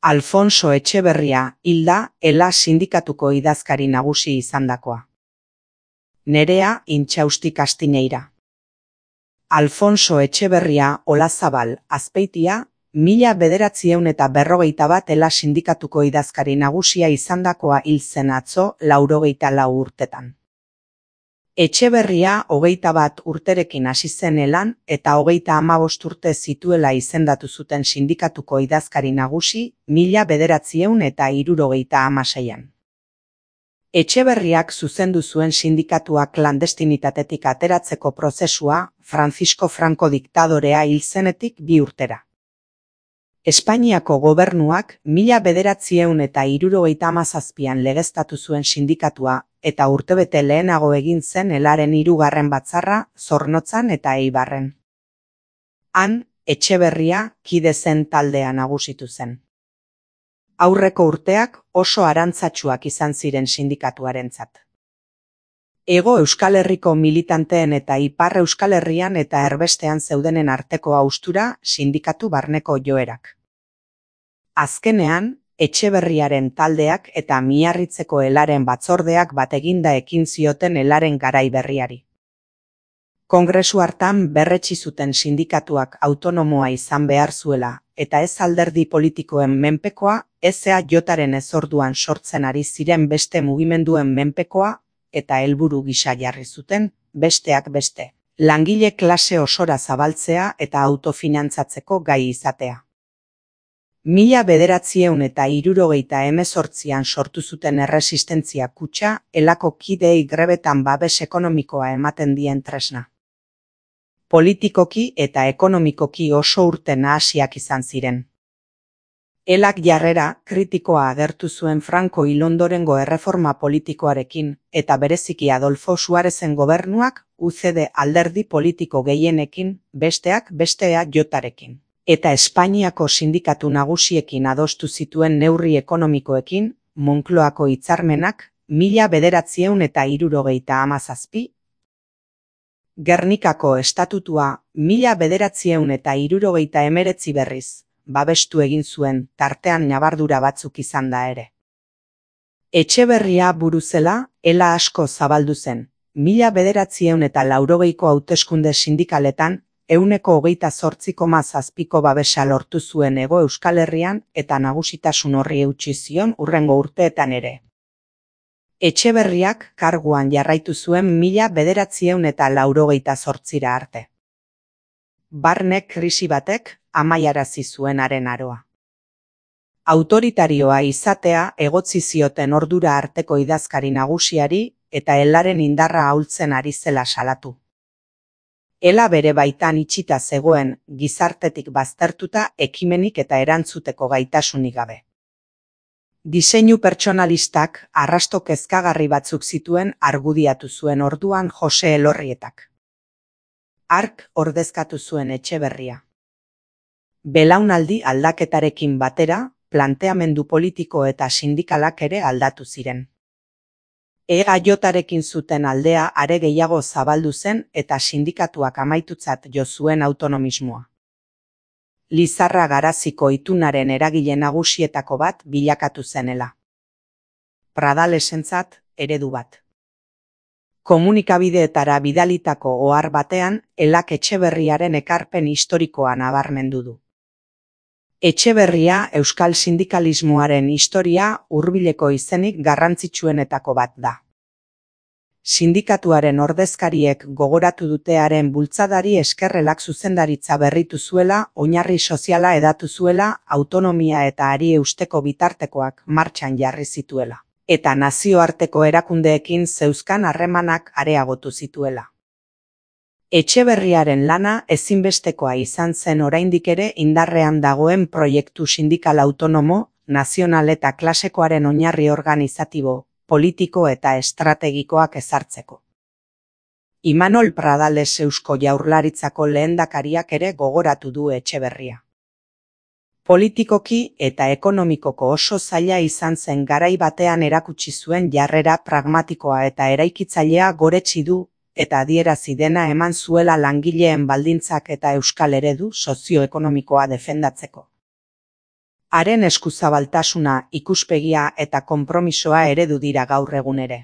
Alfonso Etxeberria hil da ELA sindikatuko idazkari nagusi izandakoa. Nerea Intxausti Kastineira. Alfonso Etxeberria Olazabal Azpeitia, 1951 ELA sindikatuko idazkari nagusia izandakoa hil zen atzo 84 urtetan. Etxeberria 21 urterekin hasi zen ELAn eta 35 urte zituela izendatu zuten sindikatuko idazkari nagusi 1976an. Etxeberriak zuzendu zuen sindikatua klandestinitatetik ateratzeko prozesua Francisco Franco diktadorea hil zenetik 2 urtera. Espainiako gobernuak 1977an legeztatu zuen sindikatua eta urtebete lehenago egin zen ELAren 3. batzarra Zornotzan eta Eibarren. Han, Etxeberria kide zen taldea nagusitu zen. Aurreko urteak oso arantzatsuak izan ziren sindikatuarentzat. Hego Euskal Herriko militanteen eta Ipar Euskal Herrian eta erbestean zeudenen arteko haustura sindikatu barneko joerak. Azkenean, Etxeberriaren taldeak eta Miarritzeko ELAren batzordeak bateginda ekin zioten ELAren garai berriari. Kongresu hartan berretsi zuten sindikatuak autonomoa izan behar zuela eta ez alderdi politikoen menpekoa, EAJaren ezorduan sortzen ari ziren beste mugimenduen menpekoa eta helburu gisa jarri zuten, besteak beste, langile klase osora zabaltzea eta autofinantzatzeko gai izatea. 1978an sortu zuten Erresistentzia Kutxa ELAko kideei grebetan babes ekonomikoa ematen dien tresna. Politikoki eta ekonomikoki oso urte nahasiak izan ziren. ELAk jarrera kritikoa agertu zuen Franco hil ondorengo erreforma politikoarekin eta bereziki Adolfo Suarezen gobernuak UCD alderdi politiko gehienekin, besteak beste EAJarekin. Eta Espainiako sindikatu nagusiekin adostu zituen neurri ekonomikoekin, Moncloako hitzarmenak 1977. Gernikako estatutua 1979 berriz, babestu egin zuen, tartean ñabardura batzuk izan da ere. Etxeberria buru zela, ELA asko zabaldu zen, 1980ko hauteskunde sindikaletan, 28,7% babesa lortu zuen Hego Euskal Herrian eta nagusitasun horri eutsi zion hurrengo urteetan ere. Etxeberriak karguan jarraitu zuen 1988 arte. Barne krisi batek amaiarazi zuen haren aroa. Autoritarioa izatea egotzi zioten ordura arteko idazkari nagusiari eta ELAren indarra ahultzen ari zela salatu. ELA bere baitan itxita zegoen, gizartetik baztertuta ekimenik eta erantzuteko gaitasunik gabe. Diseinu pertsonalistak arrasto kezkagarri batzuk zituen argudiatu zuen orduan Jose Elorrietak. Hark ordezkatu zuen Etxeberria. Belaunaldi aldaketarekin batera, planteamendu politiko eta sindikalak ere aldatu ziren. EAJarekin zuten aldea are gehiago zabaldu zen eta sindikatuak amaitutzat jo zuen autonomismoa. Lizarra Garaziko itunaren eragile nagusietako bat bilakatu zen ELA. Pradalesentzat eredu bat. Komunikabideetara bidalitako ohar batean ELAk Etxeberriaren ekarpen historikoa nabarmendu du. Etxeberria euskal sindikalismoaren historia hurbileko izenik garrantzitsuenetako bat da. Sindikatuaren ordezkariek gogoratu dutearen bultzadari eskerrelak zuzendaritza berritu zuela, oinarri soziala edatu zuela, autonomia eta hari eusteko bitartekoak martxan jarri zituela, eta nazioarteko erakundeekin zeuzkan harremanak areagotu zituela. Etxeberriaren lana ezinbestekoa izan zen oraindik ere indarrean dagoen proiektu sindikal autonomo, nazional eta klasekoaren oinarri organizatibo, politiko eta estrategikoak ezartzeko. Imanol Pradales Eusko Jaurlaritzako lehendakariak ere gogoratu du Etxeberria. Politikoki eta ekonomikoko oso zaila izan zen garai batean erakutsi zuen jarrera pragmatikoa eta eraikitzailea goretsi du, eta adierazi dena eman zuela langileen baldintzak eta euskal eredu sozioekonomikoa defendatzeko. Haren eskuzabaltasuna, ikuspegia eta konpromisoa eredu dira gaur egun ere.